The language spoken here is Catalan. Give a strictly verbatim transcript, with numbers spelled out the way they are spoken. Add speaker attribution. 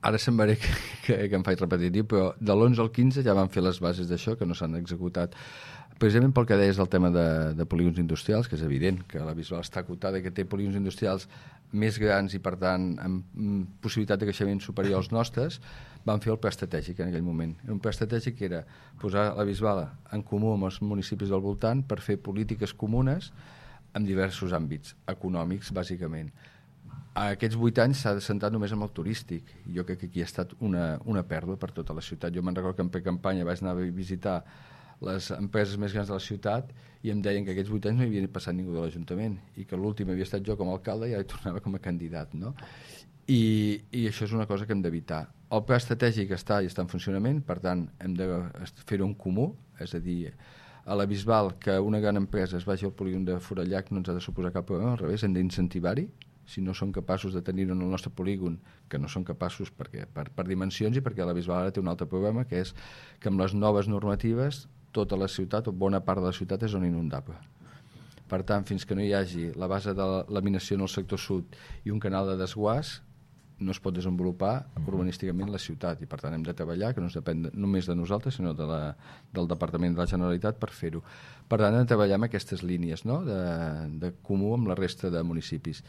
Speaker 1: Ara semblaré que, que, que em faig repetitiu, però de l'onze al quinze ja van fer les bases d'això, que no s'han executat. Precisament pel que deies del tema de, de polígons industrials, que és evident que la Bisbal està acotada i que té polígons industrials més grans i, per tant, amb possibilitat de creixement superior als nostres, van fer el pla estratègic en aquell moment. Un pla estratègic que era posar la Bisbal en comú amb els municipis del voltant per fer polítiques comunes en diversos àmbits, econòmics, bàsicament. A aquests vuit anys s'ha centrat només en el turístic. Jo crec que aquí ha estat una, una pèrdua per tota la ciutat. Jo me'n recordo que en precampanya vaig anar a visitar les empreses més grans de la ciutat i em deien que aquests vuit anys no hi havia passat ningú de l'Ajuntament i que l'últim havia estat jo com a alcalde i ara tornava com a candidat, no? I, i això és una cosa que hem d'evitar. El pla estratègic està i està en funcionament, per tant hem de fer-ho en comú, és a dir, a la Bisbal que una gran empresa es vagi al polígon de Forallac no ens ha de suposar cap problema, al revés, hem d'incentivar-hi. Si no són capaços de tenir-ho en el nostre polígon, que no són capaços perquè, per, per dimensions i perquè la Bisbal ara té un altre problema, que és que amb les noves normatives tota la ciutat o bona part de la ciutat és zona inundable. Per tant, fins que no hi hagi la base de laminació en el sector sud i un canal de desguàs, no es pot desenvolupar urbanísticament la ciutat i per tant hem de treballar, que no es depèn de, només de nosaltres sinó de la, del Departament de la Generalitat per fer-ho. Per tant hem de treballar amb aquestes línies, no? de, de comú amb la resta de municipis